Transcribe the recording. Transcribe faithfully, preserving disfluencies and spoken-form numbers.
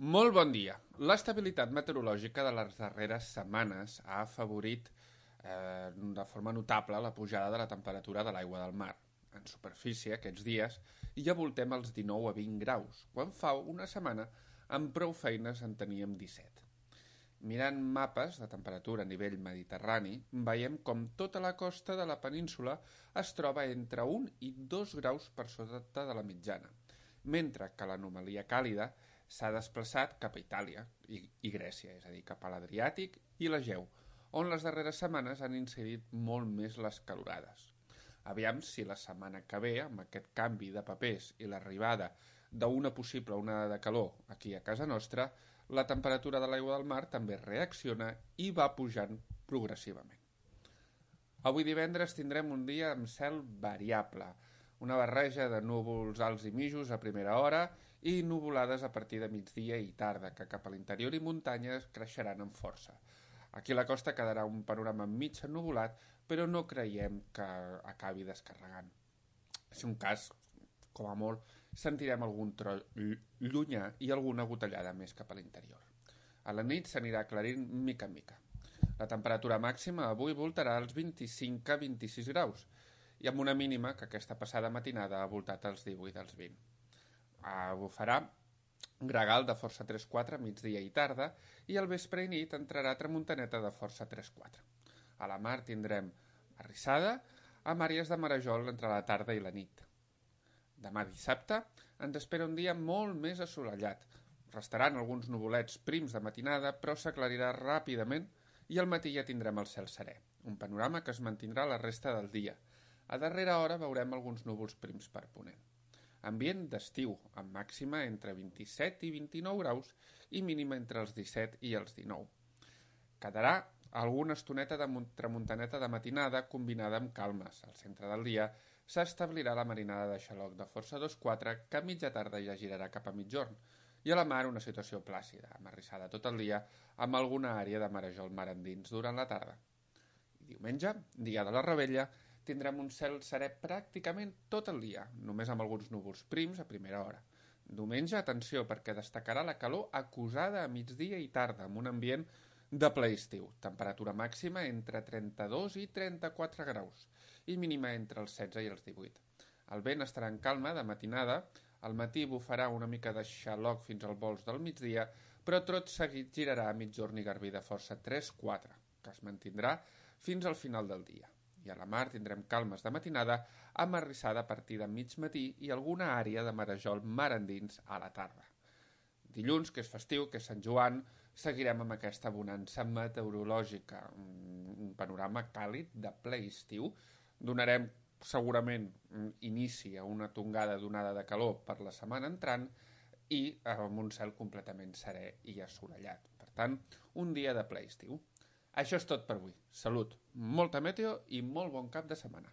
Molt bon dia. L'estabilitat meteorològica de les darreres setmanes ha afavorit eh, de forma notable la pujada de la temperatura de l'aigua del mar. En superfície, aquests dies, ja voltem els dinou a vint graus, quan fa una setmana amb prou feines en teníem disset. Mirant mapes de temperatura a nivell mediterrani, veiem com tota la costa de la península es troba entre un i dos graus per sota de la mitjana, mentre que l'anomalia càlida s'ha desplaçat cap a Itàlia i, i Grècia, és a dir, cap a l'Adriàtic i l'Egeu, on les darreres setmanes han incidit molt més les calorades. Aviam si la setmana que ve, amb aquest canvi de papers i l'arribada d'una possible onada de calor aquí a casa nostra, la temperatura de l'aigua del mar també reacciona i va pujant progressivament. Avui divendres tindrem un dia amb cel variable, una barreja de núvols alts i mitjos a primera hora i nuvolades a partir de migdia i tarda, que cap a l'interior i muntanyes creixeran amb força. Aquí a la costa quedarà un panorama mig ennuvolat, però no creiem que acabi descarregant. Si un cas, com a molt, sentirem algun tro llunyà i alguna gotellada més cap a l'interior. A la nit s'anirà aclarint mica en mica. La temperatura màxima avui voltarà als vint-i-cinc a vint-i-sis graus, i amb una mínima que aquesta passada matinada ha voltat als divuit als vint. Bufarà gregal de força tres quatre migdia i tarda i al vespre i nit entrarà tramuntaneta de força tres quatre. A la mar tindrem arrissada amb àrees de marejol entre la tarda i la nit. Demà dissabte ens espera un dia molt més assolellat. Restaran alguns nuvolets prims de matinada, però s'aclarirà ràpidament i al matí ja tindrem el cel serè, un panorama que es mantindrà la resta del dia. A darrera hora veurem alguns núvols prims per ponent. Ambient d'estiu, amb màxima entre vint-i-set i vint-i-nou graus i mínima entre els disset i els dinou. Quedarà alguna estoneta de tramuntaneta de matinada combinada amb calmes. Al centre del dia s'establirà la marinada de xaloc de força dos quatre que a mitja tarda ja girarà cap a mitjorn i a la mar una situació plàcida, amarrissada tot el dia amb alguna àrea de marejol mar endins durant la tarda. I diumenge, dia de la Revetlla, tindrem un cel serè pràcticament tot el dia, només amb alguns núvols prims a primera hora. Diumenge, atenció, perquè destacarà la calor acusada a migdia i tarda, amb un ambient de ple estiu. Temperatura màxima entre trenta-dos i trenta-quatre graus i mínima entre els setze i els divuit. El vent estarà en calma de matinada, al matí bufarà una mica de xaloc fins al vols del migdia, però tot seguit girarà a mitjorn i garbí de força tres quatre, que es mantindrà fins al final del dia. I a la mar tindrem calmes de matinada amb arrissada a partir de mig matí i alguna àrea de marejol mar endins a la tarda. Dilluns, que és festiu, que és Sant Joan, seguirem amb aquesta bonança meteorològica, un panorama càlid de ple estiu. Donarem segurament inici a una tongada d'onada de calor per la setmana entrant i amb un cel completament serè i assolellat. Per tant, un dia de ple estiu. Això és tot per avui. Salut, molta meteo i molt bon cap de setmana.